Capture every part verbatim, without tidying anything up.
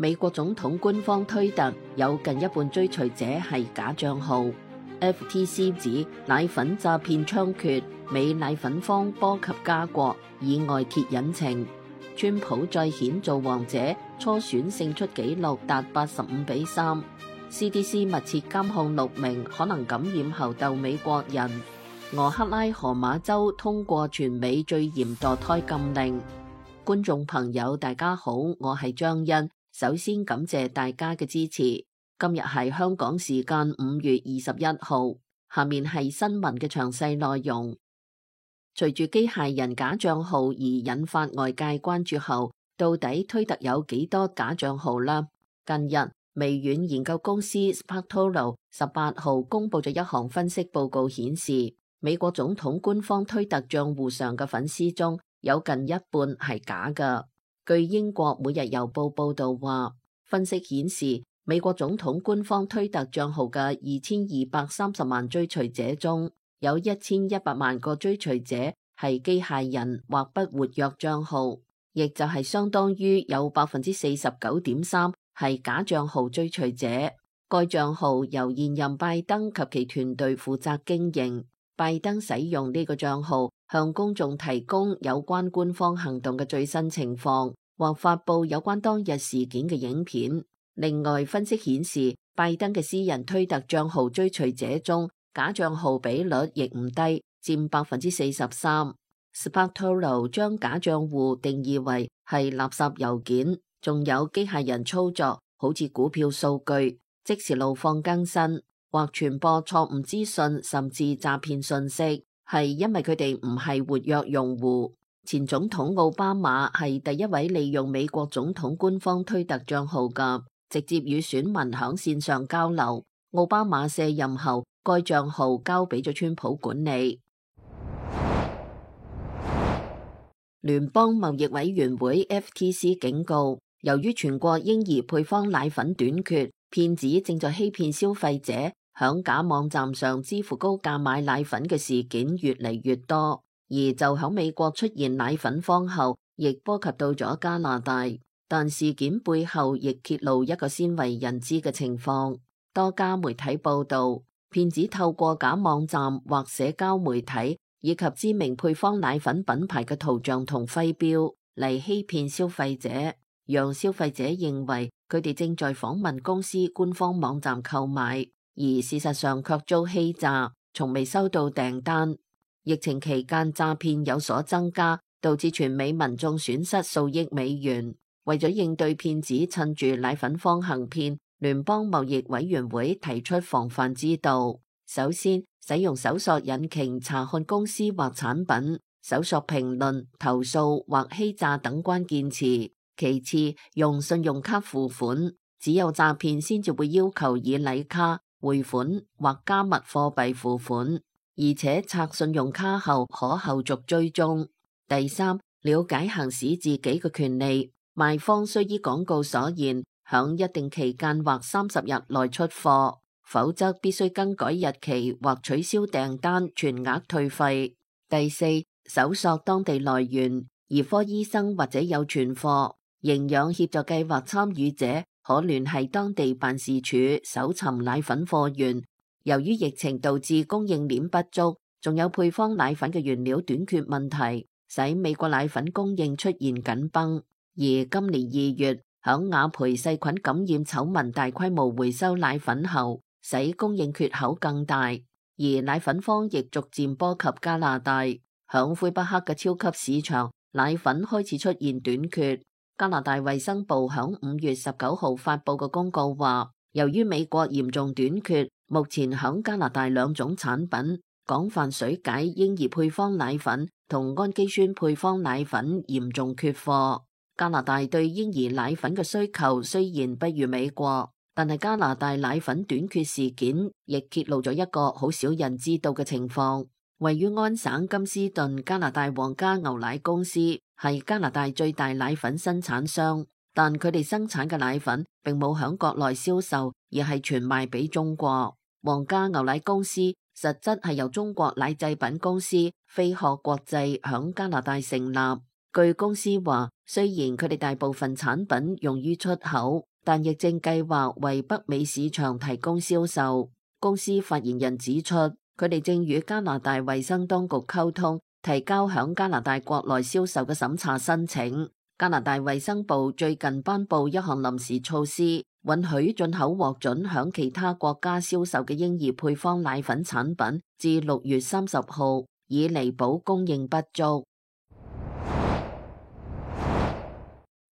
美國總統官方推特有近一半追隨者係假賬號。F T C 指奶粉詐騙猖獗，美奶粉荒波及加國，以外揭隱情。川普再顯做王者，初選勝出紀錄達八十五比三。C D C 密切監控六名可能感染猴痘美國人。俄克拉荷馬州通過全美最嚴墮胎禁令。觀眾朋友大家好，我係張欣。首先感謝大家嘅支持。今日係香港時間五月二十一號，下面係新聞嘅詳細內容。隨住機械人假賬號而引發外界關注後，到底推特有幾多假賬號呢？近日，微軟研究公司 Sparktoro 十八號公布咗一項分析報告，顯示美國總統官方推特賬戶上嘅粉絲中有近一半係假嘅。據英國每日郵報報道話，分析顯示美國總統官方推特賬號嘅二千二百三十萬追隨者中，有一千一百萬個追隨者係機械人或不活躍賬號，亦就係相當於有百分之四十九點三係假賬號追隨者。該賬號由現任拜登及其團隊負責經營。拜登使用呢個賬號向公眾提供有關官方行動嘅最新情況，或發布有關當日事件嘅影片。另外，分析顯示，拜登嘅私人推特賬號追隨者中，假賬號比率亦唔低，佔百分之四十三。Sparktoro 將假賬戶定義為係垃圾郵件，仲有機械人操作，好似股票數據、即時路況更新或傳播錯誤資訊，甚至詐騙信息，係因為佢哋唔係活躍用戶。前總統奧巴馬係第一位利用美國總統官方推特賬號嘅，直接與選民響線上交流。奧巴馬卸任後，該賬號交俾咗川普管理。聯邦貿易委員會 F T C 警告，由於全國嬰兒配方奶粉短缺，騙子正在欺騙消費者，響假網站上支付高價買奶粉嘅事件越嚟越多。而就響美國出現奶粉荒後，亦波及到咗加拿大。但事件背後亦揭露一個鮮為人知嘅情況。多家媒體報道，騙子透過假網站或社交媒體以及知名配方奶粉品牌嘅圖像同徽標嚟欺騙消費者，讓消費者認為佢哋正在訪問公司官方網站購買，而事實上卻遭欺詐，從未收到訂單。疫情期間詐騙有所增加，導致全美民眾損失數億美元。為咗應對騙子趁住奶粉荒行騙，聯邦貿易委員會提出防範之道。首先，使用搜索引擎查看公司或產品，搜索評論、投訴或欺詐等關鍵詞。其次，用信用卡付款，只有詐騙先至會要求以禮卡、匯款或加密貨幣付款。而且拆信用卡後可後續追蹤。第三，了解行使自己嘅權利，賣方需依廣告所言，響一定期間或三十日內出貨，否則必須更改日期或取消訂單，全額退費。第四，搜索當地來源，兒科醫生或者有存貨。營養協助計劃參與者可聯繫當地辦事處搜尋奶粉貨源。由於疫情導致供應鏈不足，仲有配方奶粉嘅原料短缺問題，使美國奶粉供應出現緊繃。而今年二月，響雅培細菌感染醜聞大規模回收奶粉後，使供應缺口更大。而奶粉荒亦逐漸波及加拿大，響魁北克嘅超級市場，奶粉開始出現短缺。加拿大衛生部響五月十九號發佈嘅公告話，由於美國嚴重短缺，目前響加拿大兩種產品廣泛水解嬰兒配方奶粉同氨基酸配方奶粉嚴重缺貨。加拿大對嬰兒奶粉嘅需求雖然不如美國，但係加拿大奶粉短缺事件亦揭露咗一個好少人知道嘅情況。位於安省金斯頓加拿大皇家牛奶公司係加拿大最大奶粉生產商，但佢哋生產嘅奶粉並冇響國內銷售，而係全賣俾中國。皇家牛奶公司實質係由中國奶製品公司飛鶴國際響加拿大成立。據公司話，雖然佢哋大部分產品用於出口，但亦正計劃為北美市場提供銷售。公司發言人指出，佢哋正與加拿大衛生當局溝通，提交響加拿大國內銷售嘅審查申請。加拿大衛生部最近頒布一項臨時措施，允許進口獲准響其他國家銷售嘅嬰兒配方奶粉產品至六月三十號，以彌補供應不足。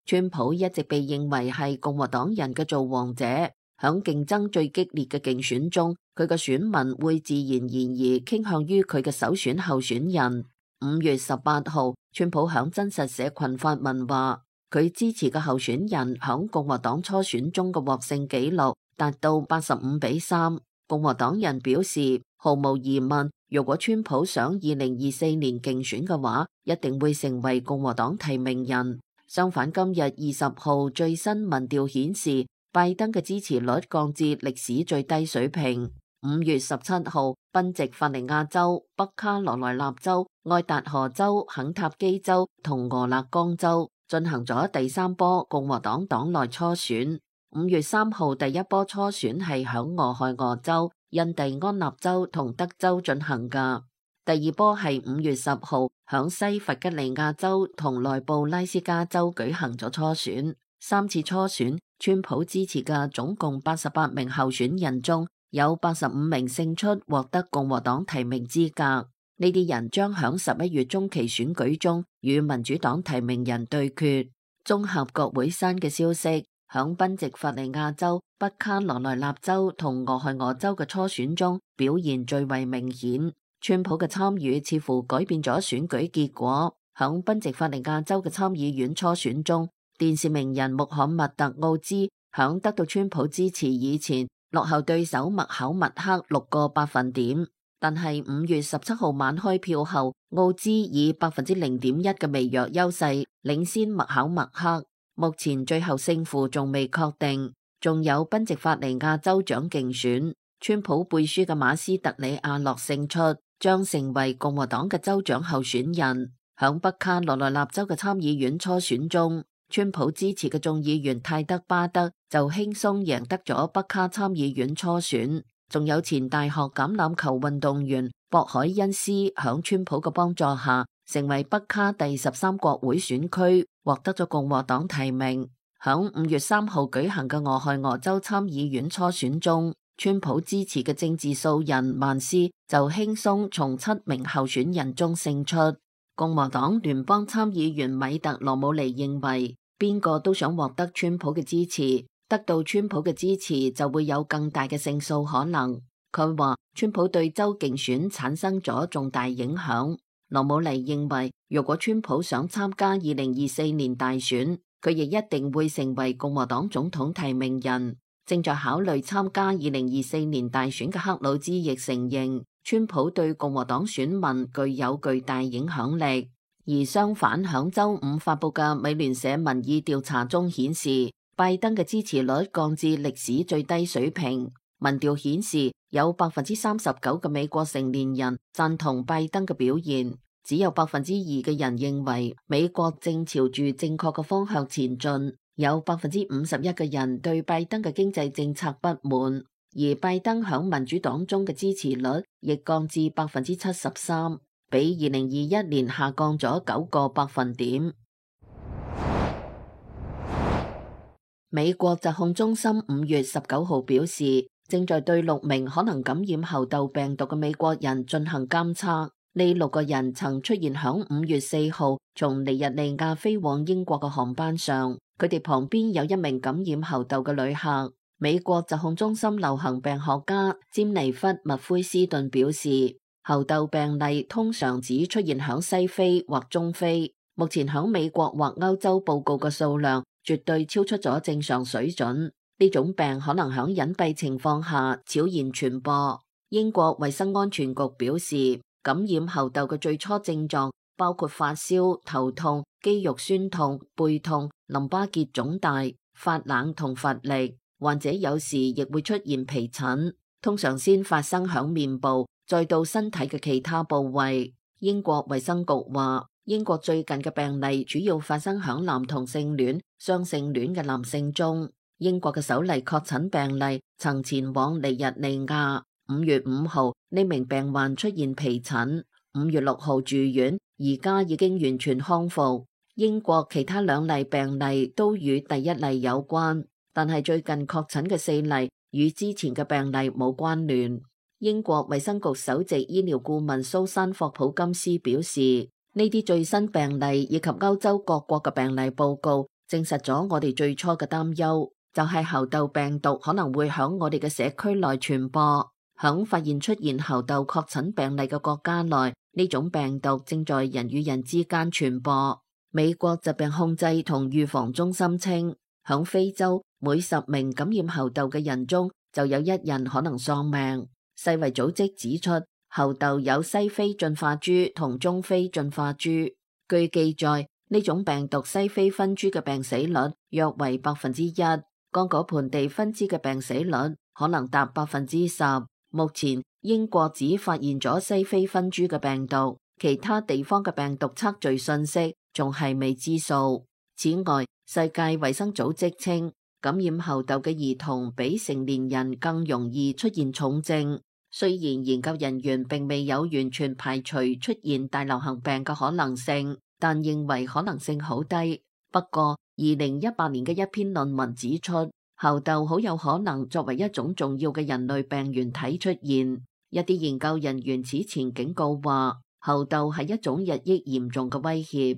川普一直被認為係共和黨人嘅造王者，響競爭最激烈嘅競選中，佢嘅選民會自然而然傾向於佢嘅首選候選人。五月十八號，川普響真實社群發文話，佢支持嘅候選人響共和黨初選中嘅獲勝紀錄達到八十五比三。共和黨人表示，毫無疑問，如果川普想二零二四年競選嘅話，一定會成為共和黨提名人。相反，今日二十號最新民調顯示，拜登嘅支持率降至歷史最低水平。五月十七號，賓夕法尼亞州、北卡羅來納州、愛達荷州、肯塔基州同俄勒岡州進行咗第三波共和黨黨內初選。五月三號第一波初選係響俄亥俄州、印第安納州同德州進行噶。第二波係五月十號響西弗吉尼亞州同內布拉斯加州舉行咗初選。三次初選，川普支持嘅總共八十八名候選人中，有八十五名勝出，獲得共和黨提名資格。呢啲人將響十一月中期選舉中與民主黨提名人對決。綜合國會山嘅消息，響賓夕法尼亞州、北卡羅來納州同俄亥俄州嘅初選中表現最為明顯。川普嘅參與似乎改變咗選舉結果。響賓夕法尼亞州嘅參議院初選中，電視名人穆罕默特奧茲響得到川普支持以前，落後對手麥考默克六個百分點。但係五月十七號晚開票後，奧茲以百分之零點一嘅微弱優勢領先麥考默克。目前最後勝負仲未確定。仲有賓夕法尼亞州長競選，川普背書嘅馬斯特里亞諾勝出，將成為共和黨嘅州長候選人。響北卡羅來納州嘅參議院初選中，川普支持嘅眾議員泰德巴德就輕鬆贏得咗北卡參議院初選。仲有前大學橄欖球運動員博海恩斯響川普嘅幫助下，成為北卡第十三國會選區，獲得咗共和黨提名。響五月三號舉行嘅俄亥俄州參議院初選中，川普支持嘅政治素人曼斯就輕鬆從七名候選人中勝出。共和黨聯邦參議員米特羅姆尼認為，邊個都想獲得川普嘅支持，得到川普嘅支持就會有更大嘅勝數可能。佢話川普對州競選產生咗重大影響。羅姆尼認為，如果川普想參加二零二四年大選，佢亦一定會成為共和黨總統提名人。正在考慮參加二零二四年大選嘅克魯茲亦承認，川普對共和黨選民具有巨大影響力。而相反，響周五發佈嘅美聯社民意調查中顯示，拜登嘅支持率降至歷史最低水平。民調顯示，有百分之三十九嘅美國成年人贊同拜登嘅表現，只有百分之二嘅人認為美國正朝住正確嘅方向前進。有百分之五十一嘅人對拜登嘅經濟政策不滿，而拜登響民主黨中嘅支持率亦降至百分之七十三，比二零二一年下降咗九個百分點。美國疾控中心五月十九號表示，正在對六名可能感染猴痘病毒嘅美國人進行監測。呢六個人曾出現響五月四號從尼日利亞飛往英國嘅航班上，佢哋旁邊有一名感染猴痘嘅旅客。美國疾控中心流行病學家詹尼弗麥奎斯頓表示，猴痘病例通常只出現響西非或中非，目前響美國或歐洲報告嘅數量絕對超出咗正常水準。呢種病可能響隱蔽情況下悄然傳播。英國衛生安全局表示，感染猴痘嘅最初症狀包括發燒、頭痛、肌肉酸痛、背痛、淋巴結腫大、發冷同乏力。患者有時亦會出現皮疹，通常先發生響面部，再到身體嘅其他部位。英國衛生局話，英國最近嘅病例主要發生響男同性戀、雙性戀嘅男性中。英國嘅首例確診病例曾前往尼日利亞，五月五號呢名病患出現皮疹，五月六號住院，而家已經完全康復。英國其他兩例病例都與第一例有關，但係最近確診嘅四例與之前嘅病例冇關聯。英國衛生局首席醫療顧問蘇珊霍普金斯表示，呢啲最新病例以及歐洲各國嘅病例報告，證實咗我哋最初嘅擔憂，就係猴痘病毒可能會響我哋嘅社區內傳播。響發現出現猴痘確診病例嘅國家內，呢種病毒正在人與人之間傳播。美國疾病控制同預防中心稱，響非洲每十名感染猴痘嘅人中就有一人可能喪命。世衛組織指出，猴痘有西非進化株同中非進化株。據記載，呢種病毒西非分株嘅病死率約為百分之一，剛果盆地分支嘅病死率可能達百分之十。目前英國只發現咗西非分株嘅病毒，其他地方嘅病毒測序信息仲係未知數。此外，世界衛生組織稱，感染猴痘嘅兒童比成年人更容易出現重症。雖然研究人員並未有完全排除出現大流行病嘅可能性，但認為可能性好低。不過，二零一八年嘅一篇論文指出，猴痘好有可能作為一種重要嘅人類病原體出現。一啲研究人員此前警告話，猴痘係一種日益嚴重嘅威脅。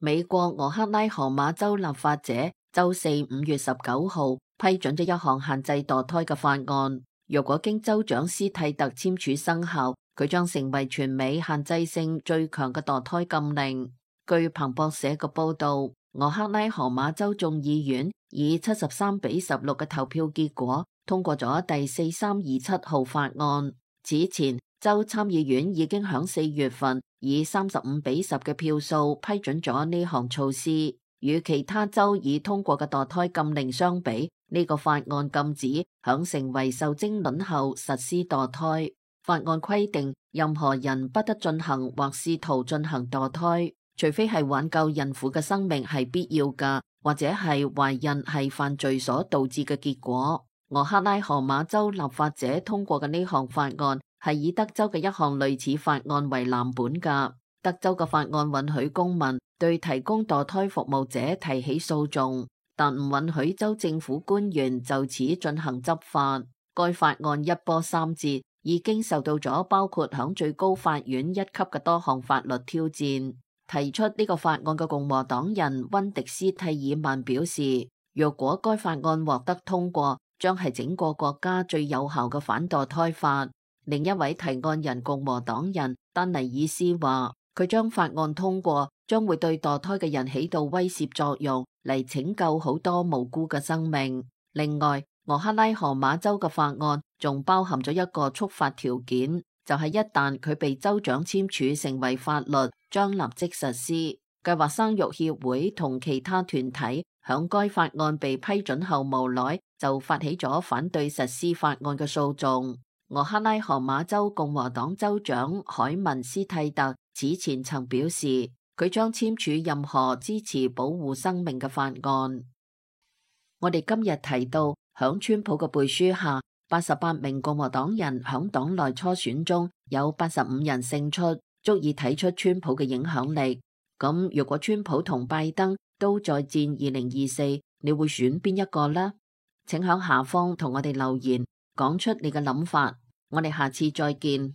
美國俄克拉荷馬州立法者週四五月十九號批准咗一項限制墮胎嘅法案，若果經州長斯蒂特簽署生效，佢將成為全美限制性最強嘅墮胎禁令。據彭博社嘅報道，俄克拉荷馬州眾議院以七十三比十六嘅投票結果通過咗第四三二七號法案。此前，州參議院已經響四月份以三十五比十嘅票數批准咗呢項措施。與其他州已通過嘅墮胎禁令相比，呢、這個法案禁止響成為受精卵後實施墮胎。法案規定，任何人不得進行或試圖進行墮胎，除非係挽救孕婦嘅生命係必要㗎，或者係懷孕係犯罪所導致嘅結果。俄克拉荷馬州立法者通過嘅呢項法案係以德州嘅一項類似法案為藍本㗎。德州嘅法案允許公民對提供墮胎服務者提起訴訟，但唔允許州政府官員就此進行執法。該法案一波三折，已經受到咗包括響最高法院一級嘅多項法律挑戰。提出呢個法案嘅共和黨人溫迪斯蒂爾曼表示，若果該法案獲得通過，將係整個國家最有效嘅反墮胎法。另一位提案人共和黨人丹尼爾斯話，佢將法案通過，將會對墮胎嘅人起到威懾作用，嚟拯救好多無辜嘅生命。另外，俄克拉荷馬州嘅法案仲包含咗一個觸發條件，就係一旦佢被州長簽署成為法律，將立即實施。計劃生育協會同其他團體響該法案被批准後無耐就發起咗反對實施法案嘅訴訟。俄克拉荷馬州共和黨州長凱文斯蒂特此前曾表示，佢將簽署任何支持保護生命嘅法案。我哋今日提到，響川普嘅背書下，八十八名共和黨人響黨內初選中有八十五人勝出，足以睇出川普嘅影響力。咁如果川普同拜登都再戰二零二四，你會選邊一個呢？請響下方同我哋留言，講出你嘅諗法。我哋下次再見。